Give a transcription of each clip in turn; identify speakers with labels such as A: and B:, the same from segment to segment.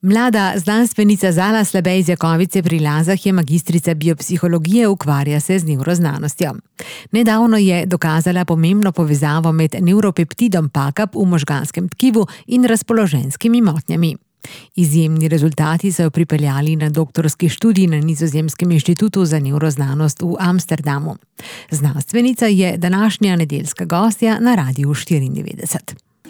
A: Mlada znanstvenica Zala Slabej-Zjakovice pri Lazah je magistrica biopsihologije, ukvarja se z nevroznanostjo. Nedavno je dokazala pomembno povezavo med nevropeptidom PACAP v možganskem tkivu in razpoloženjskimi motnjami. Izjemni rezultati so jo pripeljali na doktorski študij na Nizozemskem inštitutu za nevroznanost v Amsterdamu. Znanstvenica je današnja nedeljska gostja na Radiu 94.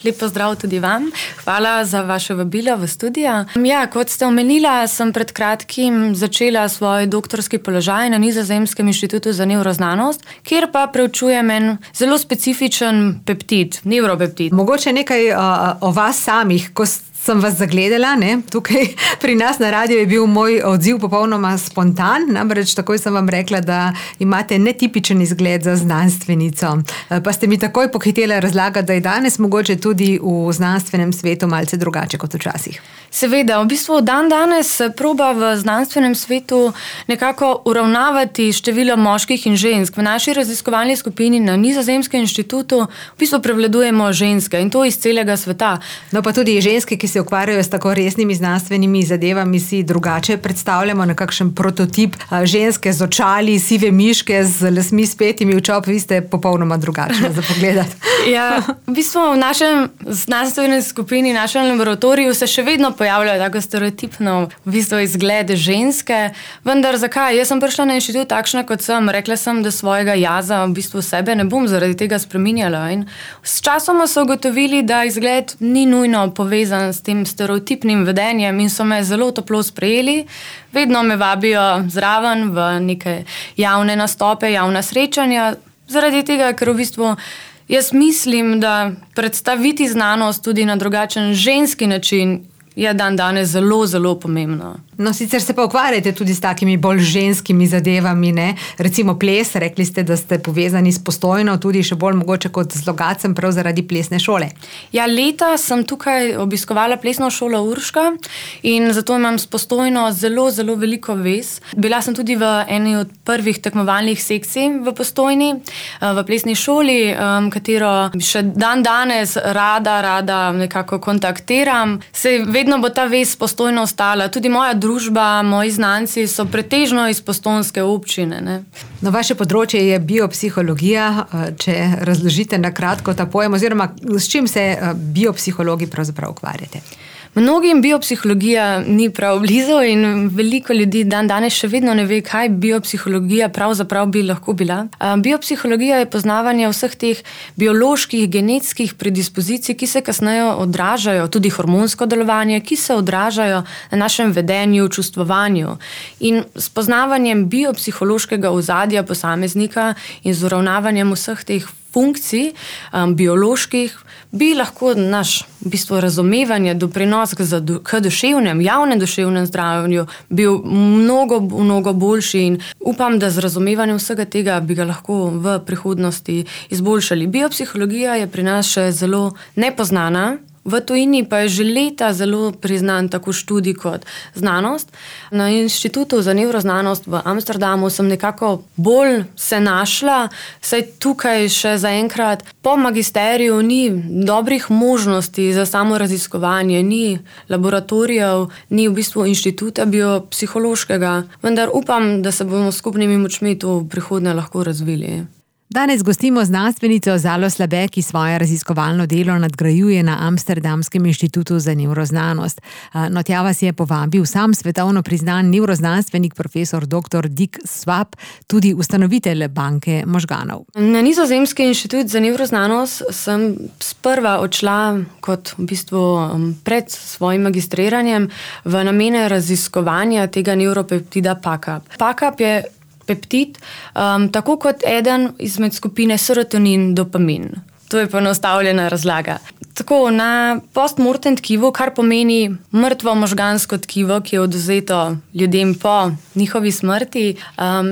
B: Lep pozdrav tudi vam. Hvala za vaše vabilo v studio. Kot ste omenila, sem pred kratkim začela svoj doktorski položaj na Nizozemskem inštitutu za nevroznanost, kjer pa preučujem en zelo specifičen peptid, nevropeptid.
A: Mogoče nekaj o vas samih, ko sem vas zagledala, tukaj pri nas na radiju je bil moj odziv popolnoma spontan, namreč takoj sem vam rekla, da imate netipičen izgled za znanstvenico. Pa ste mi takoj pohitela razlagati, da je danes mogoče tudi v znanstvenem svetu malce drugače kot včasih.
B: Seveda, v bistvu danes se proba v znanstvenem svetu nekako uravnavati število moških in žensk. V naši raziskovalni skupini na Nizozemskem inštitutu v bistvu prevladujemo ženske in to iz celega sveta.
A: No pa tudi ženske, ki se ukvarjajo s tako resnimi znanstvenimi zadevami, si drugače predstavljamo nekakšen prototip ženske z očali, sive miške, z lasmi spetimi v čop, vi ste popolnoma drugačni za pogledati.
B: V bistvu v našem znanstvenem skupini, našem laboratoriju se še vedno pojavljajo tako stereotipno v bistvu izgled ženske, vendar zakaj? Jaz sem prišla na inštitut takšna, kot sem. Rekla sem, da svojega jaza v bistvu sebe ne bom zaradi tega spreminjala. In s časoma so ugotovili, da izgled ni nujno povezan s tem stereotipnim vedenjem in so me zelo toplo sprejeli. Vedno me vabijo zraven v neke javne nastope, javna srečanja, zaradi tega, ker v bistvu jaz mislim, da predstaviti znanost tudi na drugačen ženski način je danes zelo, zelo pomembno.
A: No, sicer se pa ukvarjate tudi s takimi bolj ženskimi zadevami, Recimo ples, rekli ste, da ste povezani s Postojno, tudi še bolj mogoče kot z Logatcem, prav zaradi plesne šole.
B: Leta sem tukaj obiskovala plesno šolo Urška in zato imam s Postojno zelo, zelo veliko vez. Bila sem tudi v eni od prvih tekmovalnih sekcij v Postojni, v plesni šoli, katero še danes rada nekako kontaktiram. Vedno bo ta vez Postojno ostala. Tudi moja družba, moji znanci so pretežno iz postojnske občine.
A: No, vaše področje je biopsihologija, če razložite na kratko ta pojem, oziroma s čim se biopsihologi pravzaprav ukvarjate?
B: Mnogim biopsihologija ni prav blizu in veliko ljudi danes še vedno ne ve, kaj biopsihologija pravzaprav bi lahko bila. Biopsihologija je poznavanje vseh teh bioloških, genetskih predispozicij, ki se kasneje odražajo, tudi hormonsko delovanje, ki se odražajo na našem vedenju, čustvovanju. In s poznavanjem biopsihološkega ozadja posameznika in z uravnavanjem vseh teh funkcij bioloških bi lahko naš v bistvu razumevanje, doprinos k duševnem, javnem duševnem zdravju bil mnogo, mnogo boljši in upam, da z razumevanjem vsega tega bi ga lahko v prihodnosti izboljšali. Biopsihologija je pri nas še zelo nepoznana. V tujini pa je že leta zelo priznan tako študij kot znanost. Na inštitutu za nevroznanost v Amsterdamu sem nekako bolj se našla, saj tukaj še zaenkrat po magisteriju ni dobrih možnosti za samo raziskovanje, ni laboratorijev, ni v bistvu inštituta biopsihološkega, vendar upam, da se bomo s skupnimi močmi to v prihodnje lahko razvili.
A: Danes gostimo znanstvenico Zalo Slabej, ki svoje raziskovalno delo nadgrajuje na Amsterdamskem inštitutu za nevroznanost. No, tja vas je povabil sam svetovno priznan nevroznanstvenik profesor dr. Dick Swap, tudi ustanovitelj banke možganov.
B: Na Nizozemski inštitut za nevroznanost sem sprva odšla kot v bistvu pred svojim magistriranjem v namene raziskovanja tega nevropeptida PACAP. PACAP je peptid, tako kot eden izmed skupine serotonin-dopamin. To je poenostavljena razlaga. Tako, na postmortem tkivu, kar pomeni mrtvo možgansko tkivo, ki je odvzeto ljudem po njihovi smrti,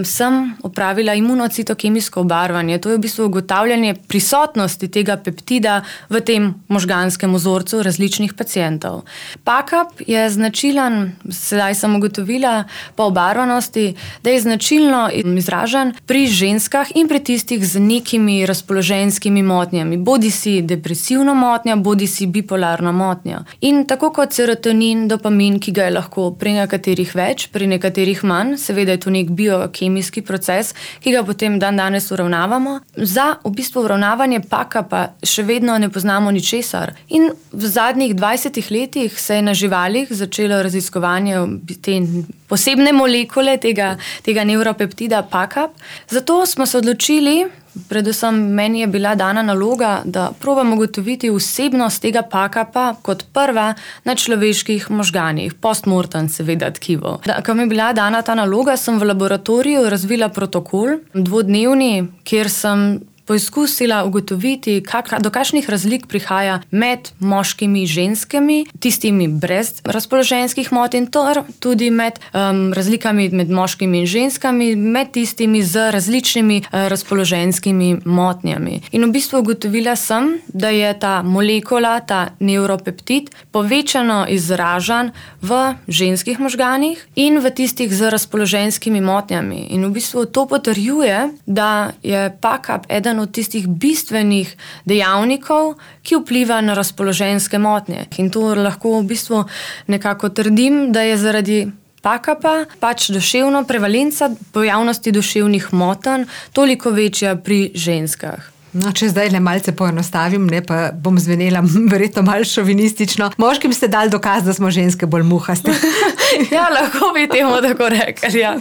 B: sem opravila imunocitokemijsko obarvanje. To je v bistvu ugotavljanje prisotnosti tega peptida v tem možganskem vzorcu različnih pacientov. PACAP je značilen, sedaj sem ugotovila po obarvanosti, da je značilno izražen pri ženskah in pri tistih z nekimi razpoloženjskimi motnjami. motnjami, bodi si depresivna motnja, bodi si bipolarna motnja. In tako kot serotonin, dopamin, ki ga je lahko pri nekaterih več, pri nekaterih manj, seveda je to nek biokemijski proces, ki ga potem danes uravnavamo. Za v bistvu uravnavanje paka pa še vedno ne poznamo ničesar. In v zadnjih 20 letih se je na živalih začelo raziskovanje te posebne molekule tega neuropeptida PACAP. Zato smo se odločili, predvsem meni je bila dana naloga, da probamo ugotoviti vsebnost tega PACAP-a kot prva na človeških možganih, postmortem seveda tkivo. Ko mi je bila dana ta naloga, sem v laboratoriju razvila protokol, 2-dnevni, kjer sem poizkusila ugotoviti, do kakšnih razlik prihaja med moškimi in ženskami, tistimi brez razpoloženjskih motenj, tudi med razlikami med moškimi in ženskami, med tistimi z različnimi razpoloženjskimi motnjami. In v bistvu ugotovila sem, da je ta molekula, ta neuropeptid, povečano izražen v ženskih možganih in v tistih z razpoloženjskimi motnjami. In v bistvu to potrjuje, da je PACAP eden od tistih bistvenih dejavnikov, ki vpliva na razpoloženjske motnje. In to lahko v bistvu nekako trdim, da je zaradi PACAP-a pač duševna prevalenca pojavnosti duševnih motenj toliko večja pri ženskah.
A: No, če zdaj le malce poenostavim, pa bom zvenela verjetno malo šovinistično. Moškim ste dali dokaz, da smo ženske bolj muhaste.
B: Ja, lahko bi temu tako rekli, ja.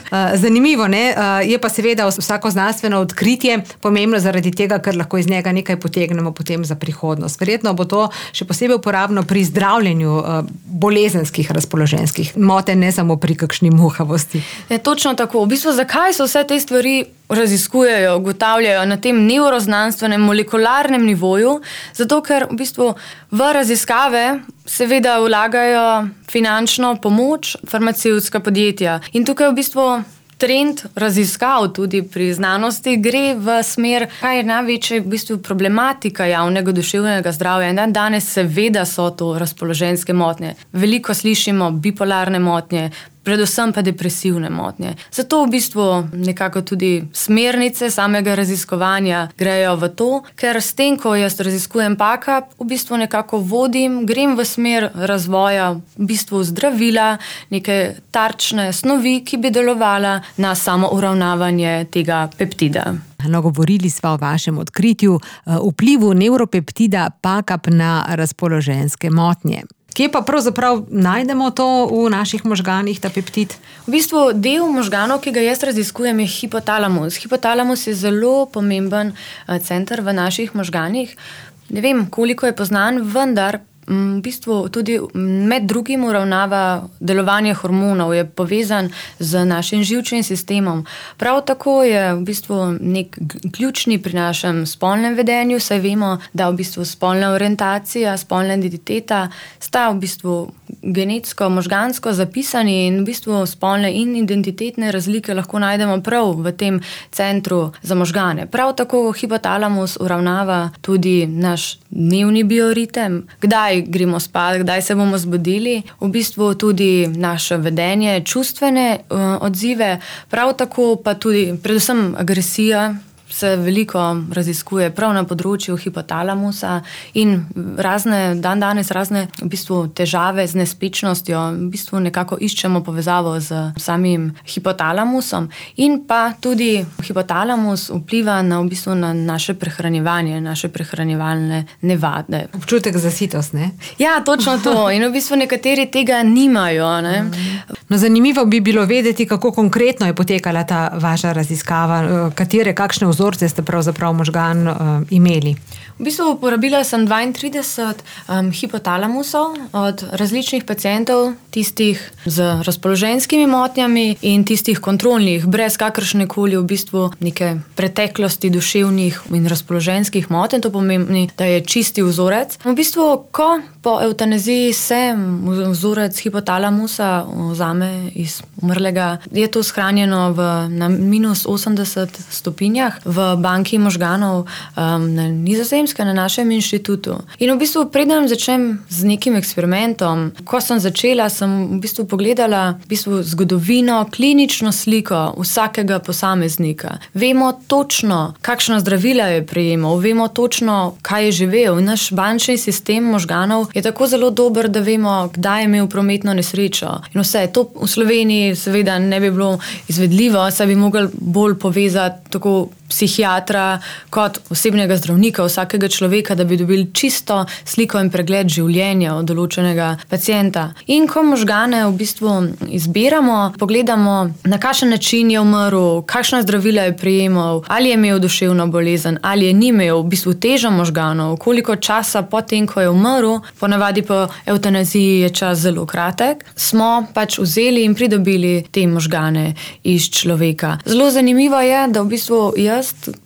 A: Zanimivo, ne? Je pa seveda vsako znanstveno odkritje pomembno zaradi tega, ker lahko iz njega nekaj potegnemo potem za prihodnost. Verjetno bo to še posebej uporabno pri zdravljenju bolezenskih razpoloženjskih motenj, ne samo pri kakšni muhavosti.
B: Je točno tako. V bistvu, zakaj so vse te stvari raziskujejo, ugotavljajo na tem neuroznanstvenem, molekularnem nivoju, zato ker v bistvu v raziskave seveda vlagajo finančno pomoč farmacevtska podjetja. In tukaj v bistvu trend raziskav tudi pri znanosti gre v smer, kaj je največja v bistvu problematika javnega duševnega zdravja. In danes seveda so to razpoloženjske motnje. Veliko slišimo bipolarne motnje, predvsem pa depresivne motnje. Zato v bistvu nekako tudi smernice samega raziskovanja grejo v to, ker s tem, ko jaz raziskujem PACAP, v bistvu nekako grem v smer razvoja v bistvu zdravila, neke tarčne snovi, ki bi delovala na samo uravnavanje tega peptida.
A: No, govorili smo o vašem odkritju, vplivu neuropeptida PACAP na razpoloženjske motnje. Kje pa pravzaprav najdemo to v naših možganih, ta peptid?
B: V bistvu del možganov, ki ga jaz raziskujem, je hipotalamus. Hipotalamus je zelo pomemben center v naših možganih. Ne vem, koliko je poznan, vendar v bistvu tudi med drugim uravnava delovanje hormonov, je povezan z našim živčnim sistemom. Prav tako je v bistvu nek ključni pri našem spolnem vedenju, saj vemo, da v bistvu spolna orientacija, spolna identiteta sta v bistvu genetsko, možgansko zapisani in v bistvu spolne in identitetne razlike lahko najdemo prav v tem centru za možgane. Prav tako hipotalamus uravnava tudi naš dnevni bioritem, kdaj gremo spat, kdaj se bomo zbudili, v bistvu tudi naše vedenje, čustvene odzive, prav tako pa tudi predvsem agresija se veliko raziskuje prav na področju hipotalamusa in danes razne v bistvu težave z nespečnostjo, v bistvu nekako iščemo povezavo z samim hipotalamusom in pa tudi hipotalamus vpliva na v bistvu na naše prehranjevanje, naše prehranjevalne navade.
A: Občutek za sitost, ne?
B: Ja, točno to. In v bistvu nekateri tega nimajo, ne?
A: No, zanimivo bi bilo vedeti, kako konkretno je potekala ta vaša raziskava, kakšne vzorce ste pravzaprav možgan imeli.
B: V bistvu uporabila sem 32 hipotalamusov od različnih pacientov, tistih z razpoloženjskimi motnjami in tistih kontrolnih, brez kakršnekoli v bistvu neke preteklosti duševnih in razpoloženjskih motenj. To pomeni, da je čisti vzorec. V bistvu, ko po evtanaziji se vzorec hipotalamusa vzame mame iz umrlega. Je to shranjeno na minus 80 stopinjah v banki možganov na Nizozemskem, na našem inštitutu. In v bistvu preden začnem z nekim eksperimentom, ko sem začela, sem v bistvu pogledala zgodovino, klinično sliko vsakega posameznika. Vemo točno, kakšna zdravila je prejemal, vemo točno, kaj je živel. Naš bančni sistem možganov je tako zelo dober, da vemo, kdaj je imel prometno nesrečo. In vse, to v Sloveniji seveda ne bi bilo izvedljivo, saj bi mogli bolj povezati tako psihiatra kot osebnega zdravnika vsakega človeka, da bi dobili čisto sliko in pregled življenja od določenega pacienta. In ko možgane v bistvu izbiramo, pogledamo, na kakšen način je umrl, kakšna zdravila je prejemal, ali je imel duševno bolezen, ali je ni imel, v bistvu težo možganov, koliko časa potem, ko je umrl, ponavadi po evtanaziji je čas zelo kratek, smo pač vzeli in pridobili te možgane iz človeka. Zelo zanimivo je, da v bistvu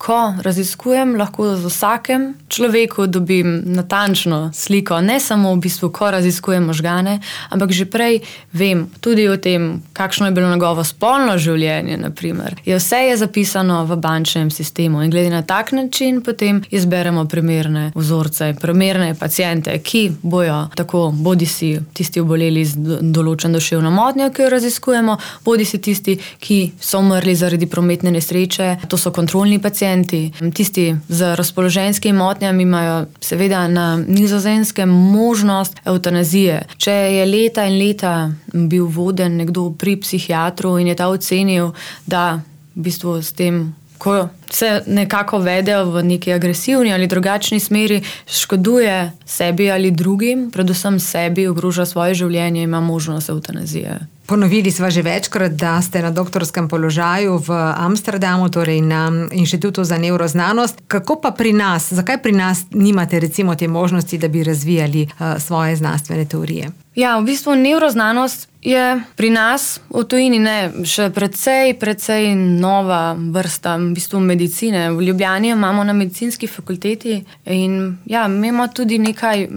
B: ko raziskujem, lahko z vsakem človeku dobim natančno sliko. Ne samo v bistvu, ko raziskujem možgane, ampak že prej vem tudi o tem, kakšno je bilo njegovo spolno življenje, naprimer. Vse je zapisano v bančnem sistemu in glede na tak način potem izberemo primerne vzorce, primerne paciente, ki bojo tako bodisi tisti oboleli z določeno duševno motnjo, ki jo raziskujemo, bodisi tisti, ki so umrli zaradi prometne nesreče. To so kontrolni pacienti. Tisti z razpoloženjskimi motnjami imajo seveda na Nizozemskem možnost evtanazije. Če je leta in leta bil voden nekdo pri psihiatru in je ta ocenil, da v bistvu s tem, ko se nekako vedejo v neki agresivni ali drugačni smeri, škoduje sebi ali drugim, predvsem sebi, ogroža svoje življenje, ima možnost evtanazije.
A: Ponovili sva že večkrat, da ste na doktorskem položaju v Amsterdamu, torej na Inštitutu za nevroznanost. Kako pa pri nas? Zakaj pri nas nimate recimo te možnosti, da bi razvijali svoje znanstvene teorije?
B: Ja, v bistvu nevroznanost je pri nas v tujini še precej nova vrsta v bistvu medicine. V Ljubljani imamo na medicinski fakulteti in ja, imamo tudi nekaj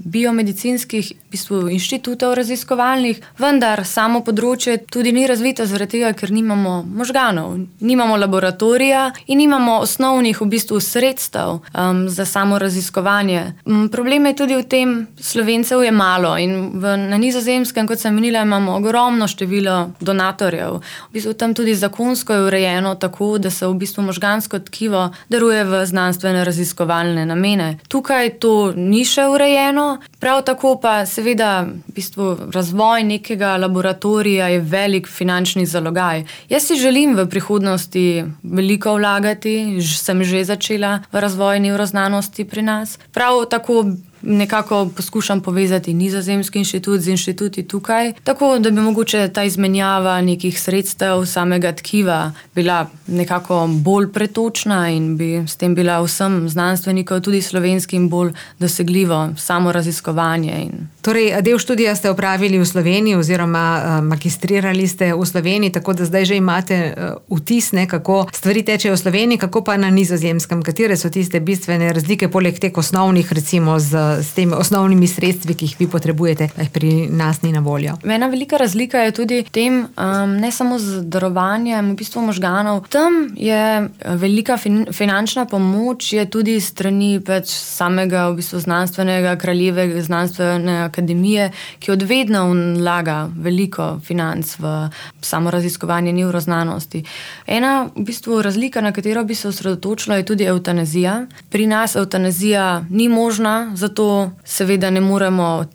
B: biomedicinskih v bistvu inštitutov raziskovalnih, vendar samo področje tudi ni razvito zaradi tega, ker nimamo možganov, nimamo laboratorija in nimamo osnovnih v bistvu sredstev za samo raziskovanje. Problem je tudi v tem, Slovencev je malo in na Nizozemskem, kot sem menila, imamo ogromno število donatorjev. V bistvu tam tudi zakonsko je urejeno tako, da se v bistvu možgansko tkivo daruje v znanstvene raziskovalne namene. Tukaj to ni še urejeno, prav tako pa seveda v bistvu razvoj nekega laboratorija je velik finančni zalogaj. Jaz si želim v prihodnosti veliko vlagati, sem že začela v razvoj nevroznanosti pri nas. Prav tako nekako poskušam povezati Nizozemski inštitut z inštituti tukaj, tako da bi mogoče ta izmenjava nekih sredstev samega tkiva bila nekako bolj pretočna in bi s tem bila vsem znanstvenikom, tudi slovenskim, bolj dosegljivo samo raziskovanje.
A: Torej, del študija ste opravili v Sloveniji oziroma magistrirali ste v Sloveniji, tako da zdaj že imate vtis, kako stvari tečejo v Sloveniji, kako pa na Nizozemskem, katere so tiste bistvene razlike poleg teh osnovnih, recimo s temi osnovnimi sredstvi, ki jih vi potrebujete, da jih pri nas ni na voljo.
B: Ena velika razlika je tudi v tem, ne samo z darovanjem v bistvu možganov, tam je velika finančna pomoč, je tudi strani pač samega v bistvu znanstvenega kraljeve znanstvene akademije, ki od vedno vlaga veliko financ v samo raziskovanje nevroznanosti. Ena v bistvu razlika, na katero bi se osredotočila, je tudi evtanazija. Pri nas evtanazija ni možna, zato seveda ne moremo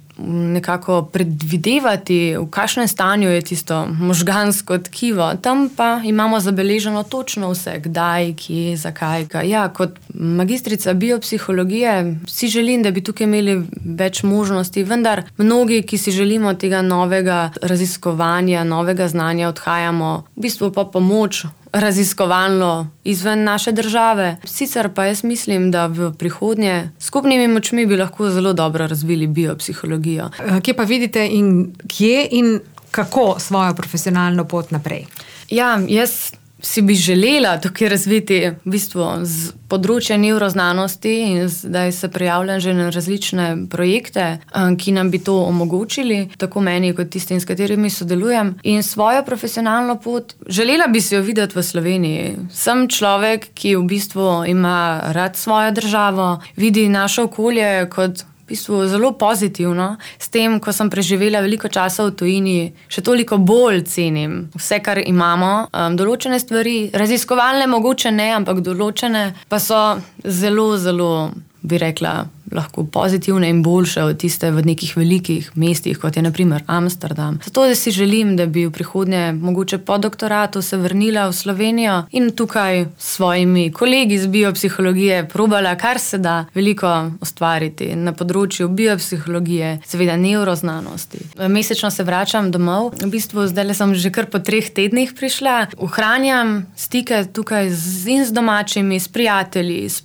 B: nekako predvidevati, v kakšnem stanju je tisto možgansko tkivo. Tam pa imamo zabeleženo točno vse, kdaj, kje, zakaj. Ja, kot magistrica biopsihologije si želim, da bi tukaj imeli več možnosti, vendar mnogi, ki si želimo tega novega raziskovanja, novega znanja, odhajamo v bistvu pa pomoč raziskovalno izven naše države. Sicer pa jaz mislim, da v prihodnje skupnimi močmi bi lahko zelo dobro razvili biopsihologijo.
A: Kje pa vidite in kako svojo profesionalno pot naprej?
B: Ja, jaz si bi želela tukaj razviti v bistvu z področja nevroznanosti in zdaj se prijavljam že na različne projekte, ki nam bi to omogočili, tako meni kot tistim, s katerimi sodelujem. In svojo profesionalno pot želela bi si jo videti v Sloveniji. Sem človek, ki v bistvu ima rad svojo državo, vidi naše okolje kot v bistvu zelo pozitivno. S tem, ko sem preživela veliko časa v tujini, še toliko bolj cenim vse, kar imamo. Določene stvari, raziskovalne mogoče ne, ampak določene pa so zelo, zelo, bi rekla, lahko pozitivne in boljše od tiste v nekih velikih mestih, kot je na primer Amsterdam. Zato da si želim, da bi v prihodnje mogoče po doktoratu se vrnila v Slovenijo in tukaj s svojimi kolegi z biopsihologije probala, kar se da veliko ustvariti na področju biopsihologije, seveda nevroznanosti. Mesečno se vračam domov. V bistvu zdaj sem že kar po 3 tednih prišla. Ohranjam stike tukaj z domačimi, s prijatelji, s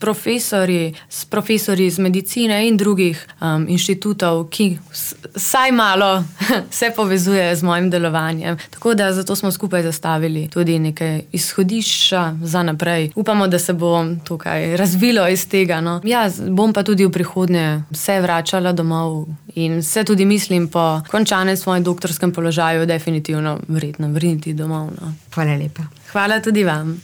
B: profesorji iz medicine in drugih inštitutov, ki vsaj malo se povezuje z mojim delovanjem. Tako da zato smo skupaj zastavili tudi nekaj izhodišča za naprej. Upamo, da se bo tukaj razvilo iz tega. No. Ja, bom pa tudi v prihodnje se vračala domov in se tudi mislim po končanem svojem doktorskem položaju definitivno vredno vrniti domov. No.
A: Hvala lepa.
B: Hvala tudi vam.